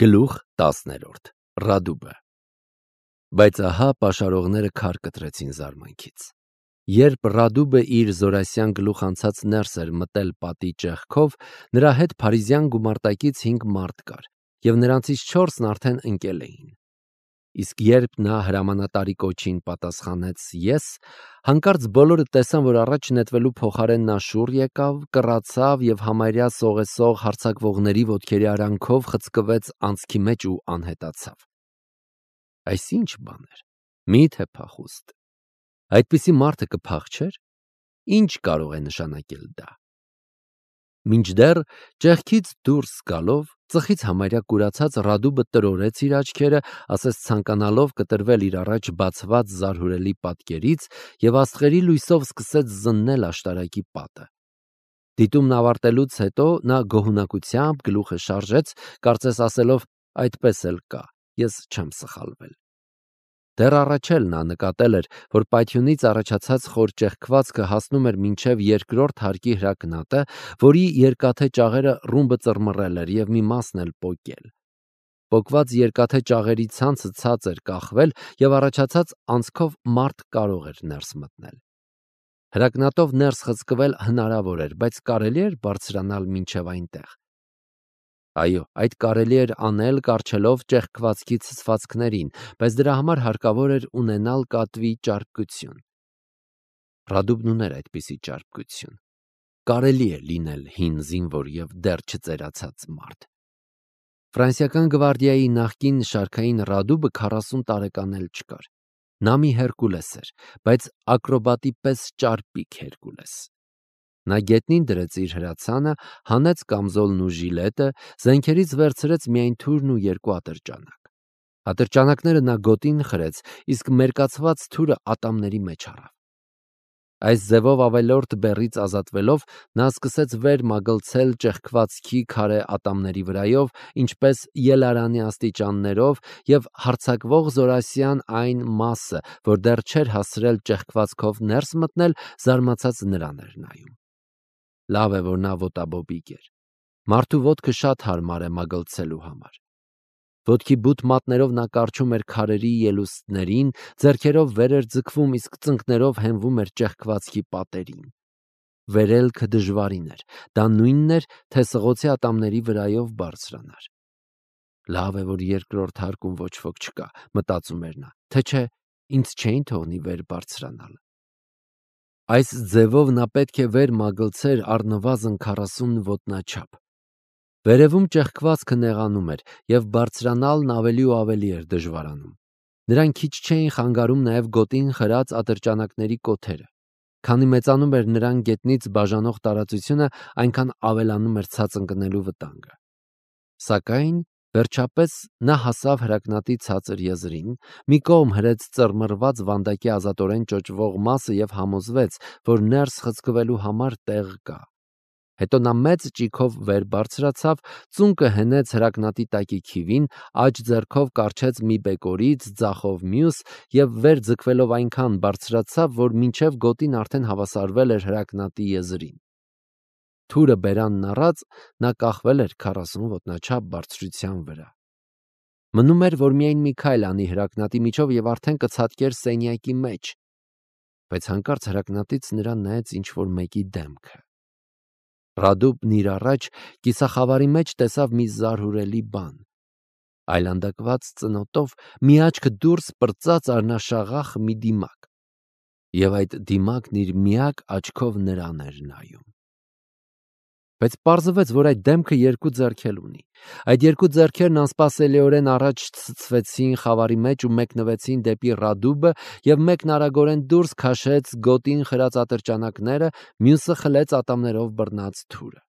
Գլուխ 10 Ռադուբը Բայց ահա պաշարողները քար կտրեցին զարմանքից։ Երբ Ռադուբը իր զորասյան գլուխ անցած ներս էր մտել պատի ճեղքով, նրա հետ փարիզյան գումարտակից 5 մարդ կար, և նրանցից 4-ն արդեն ընկել էին։ Իսկ երբ նա հրամանատարի կոչին պատասխանեց «ես», հանկարծ բոլորը տեսան, որ առաջ նետվելու փոխարեն նա շուռ եկավ, կռացավ և համարյա սողեսող հարձակվողների ոտքերի արանքով խցկվեց անցքի մեջ ու անհետացավ։ Այս ի՞նչ բան էր։ Մի՞թե փախուստ։ Այդպիսի մարդը կփախչեր։ Ի՞նչ կարող է նշանակել դա։ Մինչդեռ ճեղքից դուրս գալով, ծխից համարյա կուրացած Ռադուբը տրորեց իր աչքերը, ասես ցանկանալով կտրվել իր առաջ բացված զարհուրելի պատկերից, և աստղերի լույսով սկսեց զննել աշտարակի պատը։ Դիտումն ավարտելուց հետո նա գոհունակությամբ գլուխը շարժեց, կարծես ասելով. «Այդպես էլ կա, ես չեմ սխալվել»։ Դեռ առաջ էլ նա նկատել էր, որ պայթյունից առաջացած խոր ճեղքվածքը հասնում էր մինչև երկրորդ հարկի հրակնատը, որի երկաթե ճաղերը ռումբը ծռմռել էր և մի մասն էլ պոկել։ Պոկված երկաթե ճաղերի ցանցը ցած էր կախվել, և առաջացած անցքով մարդ կարող էր ներս մտնել։ Հրակնատով ներս խցկվել հնարավոր էր, բայց կարելի էր բարձրանալ մինչև այնտեղ։ Այո, այդ կարելի էր անել կառչելով ճեղքվածքի ցցվածքներին, բայց դրա համար հարկավոր էր ունենալ կատվի ճարպկություն։ Ռադուբն ուներ այդպիսի ճարպկություն։ Կարելի է լինել հին զինվոր և դեռ չծերացած մարդ։ Ֆրանսիական գվարդիայի նախկին շարքային Ռադուբը 40 տարեկան էլ չկար։ Նա մի Հերկուլես էր, բայց ակրոբատի պես ճարպիկ Հերկուլես։ Նա գետնին դրեց իր հրացանը, հանեց կամզոլն ու ժիլետը, զենքերից վերցրեց միայն թուրն ու 2 ատրճանակ։ Ատրճանակները նա գոտին խրեց, իսկ մերկացված թուրը ատամների մեջ առավ։ Այս ձևով ավելորդ բեռից ազատվելով, նա սկսեց վեր մագլցել ճեղքվածքի քարե ատամների վրայով, ինչպես ելարանի աստիճաններով, և հարձակվող զորասյան այն մասը, որ դեռ չէր հասցրել ճեղքվածքով ներս մտնել, զարմացած նրան էր նայում։ Լավ է, որ նա ոտաբոբիկ էր։ Մարդու ոտքը շատ հարմար է մագլցելու համար։ Ոտքի բութ մատներով նա կառչում էր քարերի ելուստներին, ձեռքերով վեր էր ձգվում, իսկ ծնկներով հենվում էր ճեղքվածքի պատերին։ Վերելքը դժվարին էր, դա նույնն էր, թե սղոցի ատամների վրայով բարձրանար։ Լավ է, որ երկրորդ հարկում ոչ ոք չկա, մտածում էր նա, թե չէ ինձ չէին թողնի վեր բարձրանալ։ Այս ձևով նա պետք է վեր մագլցեր առնվազն 40 ոտնաչափ։ Վերևում ճեղքվածքը նեղանում էր, և բարձրանալն ավելի ու ավելի էր դժվարանում։ Նրան քիչ չէին խանգարում նաև գոտին խրած ատրճանակների կոթերը։ Քանի մեծանում էր նրան գետնից բաժանող տարածությունը, այնքան ավելանում էր ցած ընկնելու վտանգը։ Սակայն վերջապես նա հասավ հրակնատի ցածր եզրին, մի կողմ հրեց ծռմռված վանդակի ազատորեն ճոճվող մասը և համոզվեց, որ ներս խցկվելու համար տեղ կա։ Հետո նա մեծ ճիգով վեր բարձրացավ, ծունկը հենեց հրակնատի տակի քիվին, աջ ձեռքով կառչեց մի բեկորից, ձախով մյուս, և վեր ձգվելով այնքան բարձրացավ, որ մինչև գոտին արդեն հավասարվել էր հրակնատի եզրին։ Թուրը բերանն առած, նա կախվել էր 40 ոտնաչափ բարձրության վրա։ Մնում էր, որ միայն մի քայլ անի հրակնատի միջով և արդեն կցատկեր սենյակի մեջ, բայց հանկարծ հրակնատից նրան նայեց ինչ-որ մեկի դեմքը։ Ռադուբն իր առաջ կիսախավարի մեջ տեսավ մի զարհուրելի բան։ Այլանդակված ծնոտով մի աչքը դուրս պրծած արնաշաղախ մի դիմակ, և այդ դիմակն իր միակ աչքով նրան էր նայում։ Բայց պարզվեց, որ այդ դեմքը 2 ձեռք ունի։ Այդ 2 ձեռքերն անսպասելիորեն առաջ ցցվեցին խավարի մեջ ու մեկնվեցին դեպի Ռադուբը, և մեկն արագորեն դուրս քաշեց գոտին խրած ատրճանակները, մյուսը խլեց ատամներով բռնած թուրը։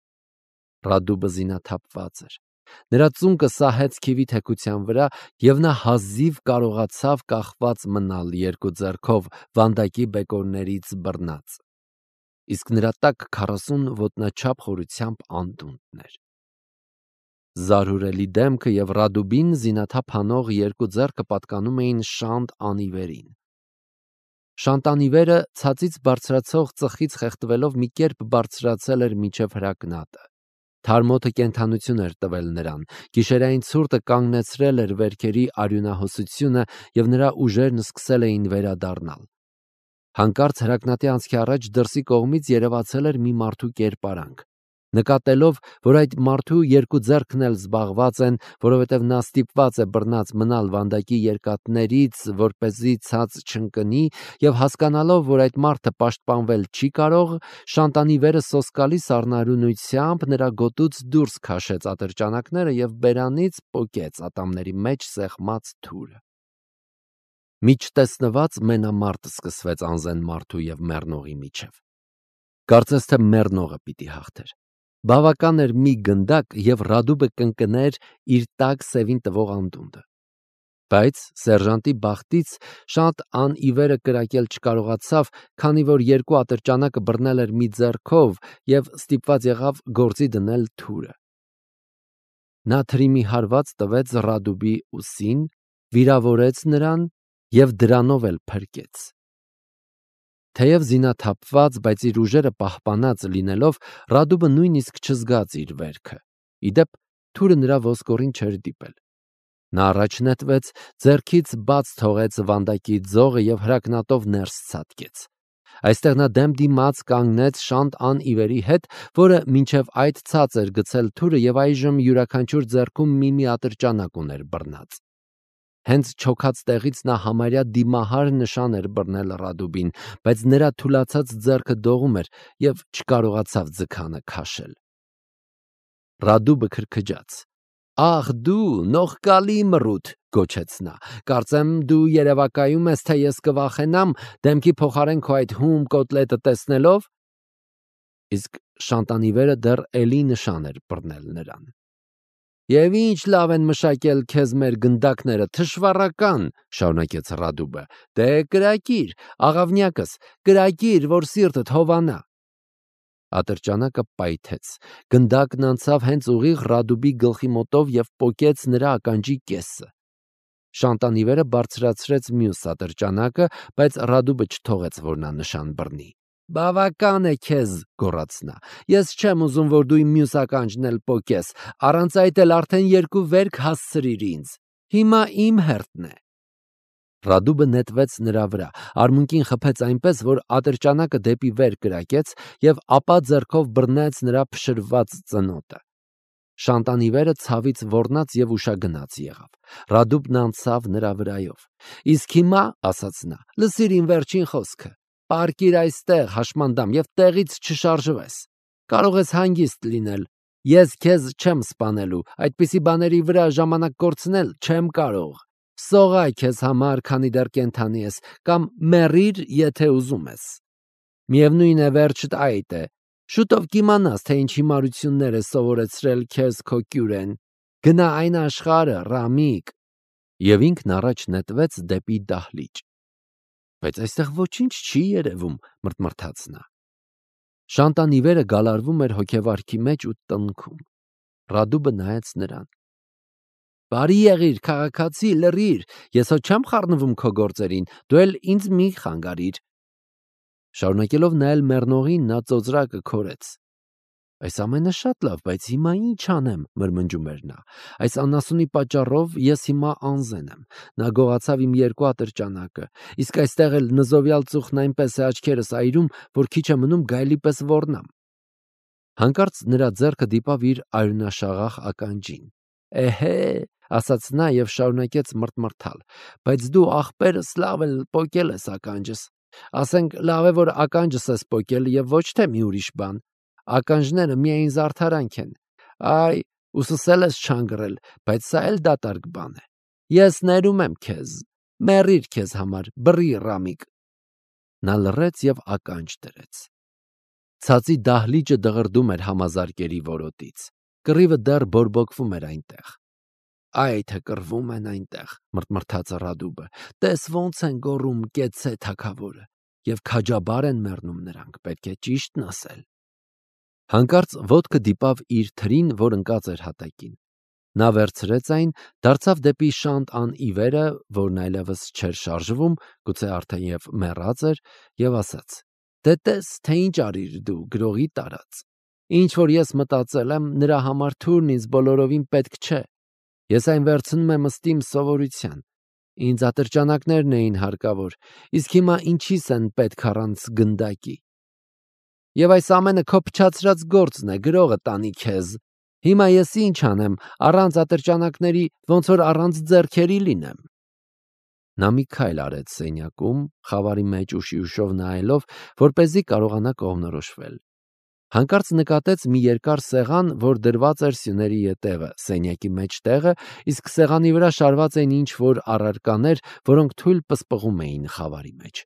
Ռադուբը զինաթափված էր։ Նրա ծունկը սահեց քիվի թեքության վրա, և նա հազիվ կարողացավ կախված մնալ 2 ձեռքով վանդակի բեկորներից բռնած։ Իսկ նրա տակ 40 ոտնաչափ խորությամբ անդունդն էր։ Զարհուրելի դեմքը և Ռադուբին զինաթափ հանող 2 ձեռքը պատկանում էին Շանտ Անիվերին։ Շանտ Անիվերը ցածից բարձրացող ծխից խեղդվելով մի կերպ բարձրացել էր մինչև հրակնատը։ Թարմոթը կենդանություն էր տվել նրան, գիշերային ցուրտը կանգնեցրել էր վերքերի արյունահոսությունը և նրա ուժերն սկսել էին վերադառնալ։ Հանկարծ հրակնատի անցքի առաջ դրսի կողմից երևացել էր մի մարդու կերպարանք։ Նկատելով, որ այդ մարդու երկու ձեռքն էլ զբաղված են, որովհետև նա ստիպված է բռնած մնալ վանդակի երկաթներից, որպեսզի ցած չընկնի, և հասկանալով, որ այդ մարդը պաշտպանվել չի կարող, Շանտանի վերը սոսկալի սառնարյունությամբ նրա գոտուց դուրս քաշեց ատրճանակները և բերանից պոկեց ատամների մեջ սեղմած թուրը։ Միջտեսնված մենամարտ սկսվեց անզեն մարդու և մեռնողի միջև։ Կարծես թե մեռնողը պիտի հաղթեր։ Բավական էր մի գնդակ, և Ռադուբը կընկներ իր տաք սևին տվող անդունդը։ Բայց սերժանտի բախտից շատ անիվերը կրակել չկարողացավ, քանի որ երկու ատրճանակը բռնել էր մի ձեռքով և ստիպված եղավ գործի դնել թուրը։ Նա թրի մի հարված տվեց Ռադուբի ուսին, վիրավորեց նրան և դրանով էլ փրկեց։ Թեև զինաթափված, բայց իր ուժերը պահպանած լինելով, Ռադուբը նույնիսկ չզգաց իր վերքը։ Ի դեպ, թուրը նրա ոսկորին չէր դիպել։ Նա առաջ նետվեց, ձեռքից բաց թողեց վանդակի ձողը և հրակնատով ներս ցատկեց։ Այստեղ նա դեմ դիմաց կանգնեց շանտ անիվերի հետ, որը մինչև այդ ցած էր գցել թուրը և այժմ յուրաքանչյուր ձեռքում մի ատրճանակ ուներ բռնած։ Հենց չոքած տեղից նա համարյա դիմահար նշան էր բռնել Ռադուբին, բայց նրա թուլացած ձեռքը դողում էր և չկարողացավ ձգանը քաշել։ Ռադուբը քրքջաց։ «Ախ դու, նողկալի մռութ», գոչեց նա, «կարծեմ դու երևակայում ես, թե ես կվախենամ դեմքի փոխարեն քո այդ հում կոտլետը տեսնելով»։ Իսկ Շանտանիվերը դեռ էլի նշան էր բռնել նրան։ «Եվ ինչ լավ են մշակել քեզ մեր գնդակները, թշվառական», շարունակեց Ռադուբը։ «Դե կրակիր, աղավնյակս, կրակիր, որ սիրտդ հովանա»։ Ատրճանակը պայթեց։ Գնդակն անցավ հենց ուղիղ Ռադուբի գլխի մոտով և պոկեց նրա ականջի կեսը։ Շանտանիվերը բարձրացրեց մյուս ատրճանակը, բայց Ռադուբը չթողեց, որ նա նշան բռնի։ «Բավական է քեզ», գոռաց նա, «ես չեմ ուզում, որ դու իմ մյուս ականջն էլ պոկես, առանց այդ էլ արդեն երկու վերք հասցրիր ինձ։ Հիմա իմ հերթն է»։ Ռադուբը նետվեց նրա վրա, արմունկին խփեց այնպես, որ ատրճանակը դեպի վեր կրակեց և ապա ձեռքով բռնեց նրա փշրված ծնոտը։ Շանտանիվերը ցավից ոռնաց և ուշագնաց եղավ։ Ռադուբն անցավ նրա վրայով։ «Իսկ հիմա, ասաց նա, լսիր իմ վերջին խոսքը։ Պառկիր այստեղ, հաշմանդամ, և տեղից չշարժվես։ Կարող ես հանգիստ լինել։ Ես քեզ չեմ սպանելու, այդպիսի բաների վրա ժամանակ կորցնել չեմ կարող։ Սողա քեզ համար, քանի դեռ կենդանի ես, կամ մեռիր, եթե ուզում ես։ Միևնույն է, վերջդ այդ է։ Շուտով կիմանաս, թե ինչ հիմարություններ է սովորեցրել քեզ քո կյուրեն։ Գնա այն աշխարհը, Ռամիկ։ Եվ ինքն առաջ նետվեց դեպի դահլիճ։ Բայց այստեղ ոչինչ չի երևում, մռթմռթաց նա։ Շանտանիվերը գալարվում էր հոգեվարքի մեջ ու տնքում։ Ռադուբը նայեց նրան։ «Բարի եղիր, քաղաքացի, լռիր, ես հո չեմ խառնվում քո գործերին, դու էլ ինձ մի խանգարիր»։ Շարունակելով նայել մեռնողին, նա ծոծրակը քորեց։ «Այս ամենը շատ լավ, բայց հիմա ինչ անեմ», մրմնջում էր նա։ «Այս անասունի պատճառով ես հիմա անզեն եմ։ Նա գողացավ իմ երկու ատրճանակը, իսկ այստեղ էլ նզովյալ ծուխն այնպես է աչքերս այրում, որ քիչ է մնում գայլի պես ոռնամ»։ Հանկարծ նրա ձեռքը դիպավ իր արյունաշաղախ ականջին։ «Էհե», ասաց նա և շարունակեց մռթմռթալ, «բայց դու ախպերս լավ էլ պոկել ես ականջս։ Ասենք լավ է, որ ականջս ես պոկել և ոչ թե մի ուրիշ բան։ Ականջները միայն զարդարանք են։ Այ, ուսս էլ ես չանգռել, բայց սա էլ դատարկ բան է։ Ես ներում եմ քեզ։ Մեռիր քեզ համար, բռի Ռամիկ»։ Նա լռեց և ականջ դրեց։ Ցածի դահլիճը դղրդում էր համազարկերի որոտից։ Կռիվը դեռ բորբոքվում էր այնտեղ։ «Այ թե կռվում են այնտեղ», մռթմռթաց Ռադուբը։ «Տես ոնց են գոռում կեցցե թագավորը։ Եվ քաջաբար են մեռնում նրանք, պետք է ճիշտն ասել»։ Հանկարծ ոտքը դիպավ իր թրին, որ ընկած էր հատակին։ Նա վերցրեց այն, դարձավ դեպի Շանտ անիվերը, որն այլևս չէր շարժվում, գուցե արդեն և մեռած էր, և ասաց. «Դե տես, թե ինչ արիր դու, գրողի տարած։ Ինչ որ ես մտածել եմ, նրա համար թուրն ինձ բոլորովին պետք չէ։ Ես այն վերցնում եմ ըստ իմ սովորության։ Ինձ ատրճանակներն էին հարկավոր, իսկ հիմա ինչիս են պետք առանց գնդակի։ Եվ այս ամենը քո փչացրած գործն է, գրողը տանի քեզ։ Հիմա ես ինչ անեմ, առանց ատրճանակների, ոնց որ առանց ձեռքերի լինեմ։ Նա մի քայլ արեց սենյակում, խավարի մեջ ուշի-ուշով նայելով, որպեսզի կարողանա կողմնորոշվել։ Հանկարծ նկատեց մի երկար սեղան, որ դրված էր սյուների ետևը, սենյակի մեջտեղը, իսկ սեղանի վրա շարված էին ինչ-որ առարկաներ, որոնք թույլ պսպղում էին խավարի մեջ։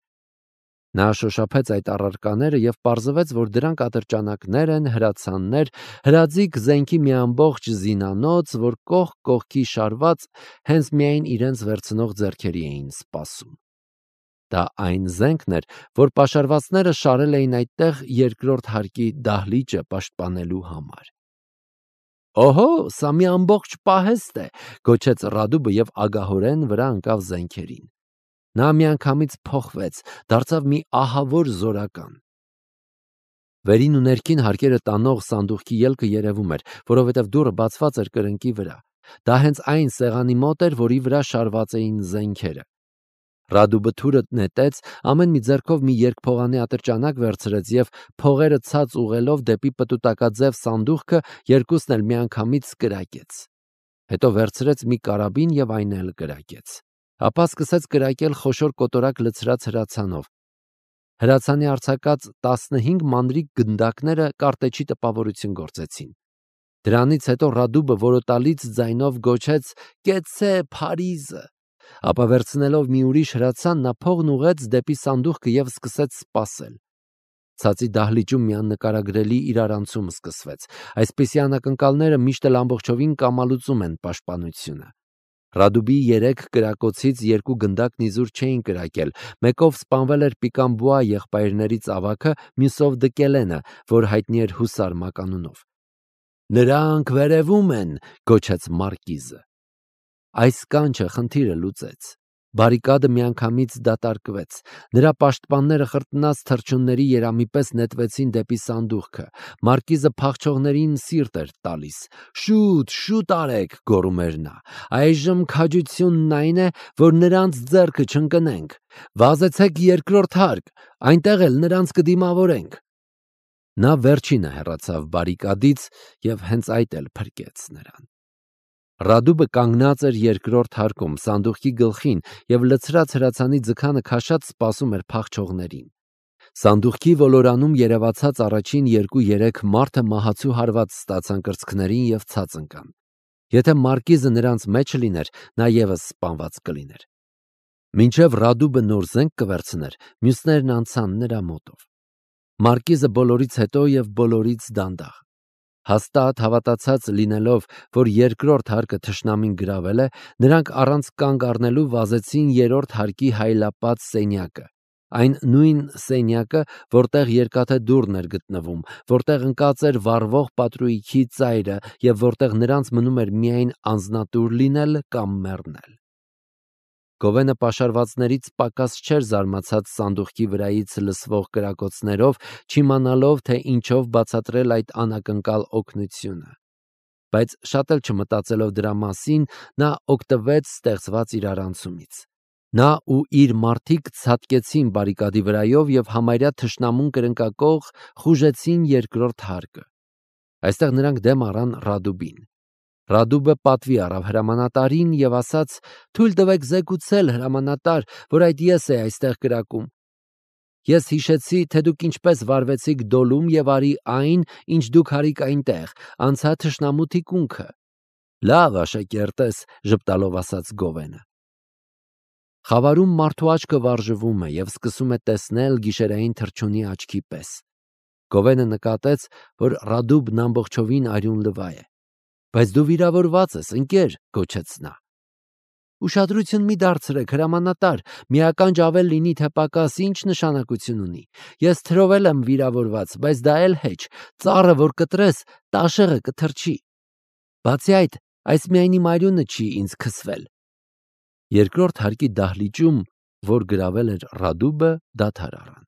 Նա շոշափեց այդ առարկաները և պարզվեց, որ դրանք ատրճանակներ են, հրացաններ, հրաձիգ զենքի մի ամբողջ զինանոց, որ կողք կողքի շարված հենց միայն իրենց վերցնող ձեռքերի էին սպասում։ Դա այն զենքն էր, որ պաշարվածները շարել էին այդտեղ երկրորդ հարկի դահլիճը պաշտպանելու համար։ «Օհո, սա մի ամբողջ պահեստ է», գոչեց Ռադուբը և ագահորեն վրա ընկավ զենքերին։ Նա միանգամից փոխվեց, դարձավ մի ահավոր զորական։ Վերին ու ներքին հարկերը տանող սանդուղքի ելքը երևում էր, որովհետև դուռը բացված էր կրնկի վրա։ Դա հենց այն սեղանի մոտ էր, որի վրա շարված էին զենքերը։ Ռադուբը թուրը նետեց, ամեն մի ձեռքով մի երկփողանի ատրճանակ վերցրեց և փողերը ցած ուղղելով դեպի պտուտակաձև սանդուղքը երկուսն էլ միանգամից կրակեց։ Հետո վերցրեց մի կարաբին և այն էլ կրակեց։ Ապա սկսեց կրակել խոշոր կոտորակ լցրած հրացանով։ Հրացանի արձակած 15 մանրիկ գնդակները կարտեչի տպավորություն գործեցին։ Դրանից հետո Ռադուբը որոտալից ձայնով գոչեց. «Կեցցե Փարիզը»։ Ապա վերցնելով մի ուրիշ հրացան, նա փողն ուղղեց դեպի սանդուղքը և սկսեց սպասել։ Ցածի դահլիճում մի աննկարագրելի իրարանցում սկսվեց։ Այսպիսի անակնկալները միշտ էլ ամբողջովին կամալուծում են պաշտպանությունը։ Ռադուբի 3 կրակոցից 2 գնդակն իզուր չէին կրակել, մեկով սպանվել էր Պիկամբուա եղբայրներից ավագը, մյուսով Դկելենը, որ հայտնի էր հուսար մականունով։ «Նրանք վերևում են», գոչեց մարկիզը։ Այս կանչը խնդիրը լուծեց։ Բարիկադը միանգամից դատարկվեց։ Նրա պաշտպանները խրտնած թռչունների երամի պես նետվեցին դեպի սանդուղքը։ Մարկիզը փախչողներին սիրտ էր տալիս։ «Շուտ, շուտ արեք», գոռում էր նա։ «Այժմ քաջությունն այն է, որ նրանց ձեռքը չընկնենք։ Վազեցեք երկրորդ հարկ, այնտեղ էլ նրանց կդիմավորենք»։ Նա վերջինը հեռացավ բարիկադից և հենց այդ էլ փրկեց նրան։ Ռադուբը կանգնած էր երկրորդ հարկում, սանդուղքի գլխին և լցրած հրացանի ձգանը քաշած սպասում էր փախչողներին։ Սանդուղքի ոլորանում երևացած առաջին 2-3 մարդը մահացու հարված ստացան կրծքներին և ցած ընկան։ Եթե մարկիզը նրանց մեջը լիներ, նա ևս սպանված կլիներ։ Մինչև Ռադուբը նոր զենք կվերցներ, մյուսներն անցան նրա մոտով։ Մարկիզը բոլորից հետո և բոլորից դանդաղ։ Հաստատ հավատացած լինելով, որ երկրորդ հարկը թշնամին գրավել է, նրանք առանց կանգ առնելու վազեցին երրորդ հարկի հայլապատ սենյակը, այն նույն սենյակը, որտեղ երկաթե դուռն էր գտնվում, որտեղ ընկած էր վառվող պատրույգի ծայրը և որտեղ նրանց մնում էր միայն անձնատուր լինել կամ մեռնել։ Գովենը պաշարվածներից պակաս չէր զարմացած սանդուղքի վրայից լսվող կրակոցներով, չիմանալով, թե ինչով բացատրել այդ անակնկալ օգնությունը։ Բայց շատ էլ չմտածելով դրա մասին, նա օգտվեց ստեղծված իրարանցումից։ Նա ու իր մարդիկ ցատկեցին բարիկադի վրայով և համարյա թշնամուն կրնկակող խուժեցին երկրորդ հարկը։ Այստեղ նրանք դեմ առան Ռադուբին։ Ռադուբը պատվի առավ հրամանատարին և ասաց. «Թույլ տվեք զեկուցել, հրամանատար, որ այդ ես էի այստեղ կրակում։ Ես հիշեցի, թե դուք ինչպես վարվեցիք դոլում և արի այն, ինչ դուք արիք այնտեղ, անցա թշնամու թիկունքը»։ «Լավ աշակերտ ես», ժպտալով ասաց Գովենը։ Խավարում մարդու աչքը վարժվում է և սկսում է տեսնել գիշերային թռչունի աչքի պես։ Գովենը նկատեց, որ Ռադուբն ամբողջովին արյուն լվա է։ «Բայց դու վիրավորված ես, ընկեր», գոչեց նա։ «Ուշադրություն մի դարձրեք, հրամանատար, մի ականջ ավել լինի թե պակաս, ինչ նշանակություն ունի։ Ես թրով եմ վիրավորված, բայց դա էլ հեչ, ծառը որ կտրես, տաշեղը կթռչի։ Բացի այդ, այս միայն իմ արյունը չի ինձ քսվել»։ Երկրորդ հարկի դահլիճում, որ գրավել էր Ռադուբը, դադար առան։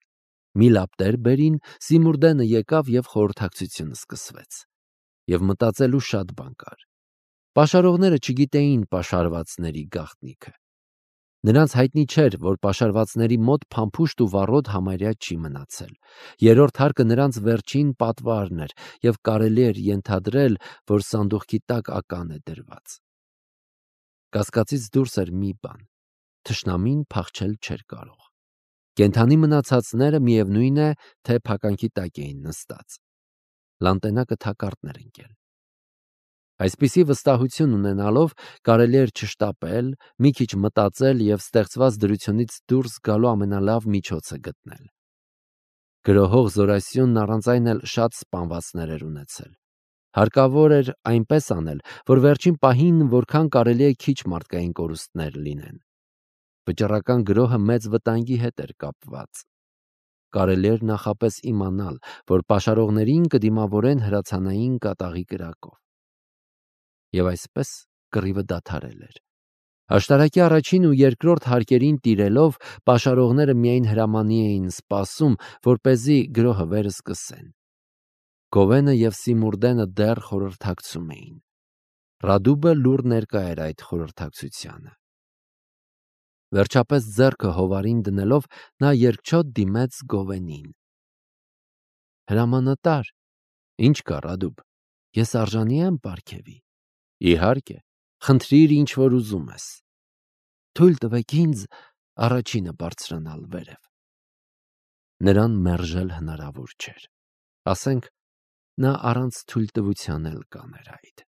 Մի լապտեր բերին, Սիմուրդենը եկավ և խորհրդակցությունը սկսվեց։ Եվ մտածելու շատ բան կար։ Պաշարողները չգիտեին պաշարվածների գաղտնիքը։ Նրանց հայտնի չէր, որ պաշարվածների մոտ փամփուշտ ու վառոդ համարյա չի մնացել։ Երրորդ հարկը նրանց վերջին պատվարն էր, և կարելի էր ենթադրել, որ սանդուղքի տակ ական է դրված։ Կասկածից դուրս էր մի բան. թշնամին փախչել չէր կարող։ Կենդանի մնացածները միևնույն է, թե փականքի տակ էին նստած։ Լանտենակը թակարդն էր ընկել։ Այսպիսի վստահություն ունենալով կարելի էր չշտապել, մի քիչ մտածել և ստեղծված դրությունից դուրս գալու ամենալավ միջոցը գտնել։ Գրոհող Զորասյունն առանց այն էլ շատ սպանվածներ էր ունեցել։ Հարկավոր էր այնպես անել, որ վերջին պահին որքան կարելի է քիչ մարդկային կորուստներ լինեն։ Վճռական գրոհը մեծ վտանգի հետ էր կապված։ Կարելի էր նախապես իմանալ, որ պաշարողներին կդիմավորեն հրացանային կատաղի կրակով։ Եվ այսպես կռիվը դադարել էր։ Աշտարակի առաջին ու երկրորդ հարկերին տիրելով պաշարողները միայն հրամանի էին սպասում, որպեսզի գրոհը վերսկսեն։ Գովենը և Սիմուրդենը դեռ խորհրդակցում էին։ Ռադուբը լուռ ներկա էր այդ խորհրդակցությանը։ Վերջապես ձեռքը հովարին դնելով նա երկչոտ դիմեց Գովենին։ Հրամանատար, ինչ կա Ռադուբ, ես արժանի եմ պարգևի։ Իհարկե, խնդրիր ինչ որ ուզում ես։ Թույլ տվեք ինձ առաջինը բարձրանալ վերև։ Նրան մերժել հնարավոր չէր։ Ասենք, նա առանց թույլտվության էլ կաներ այդ։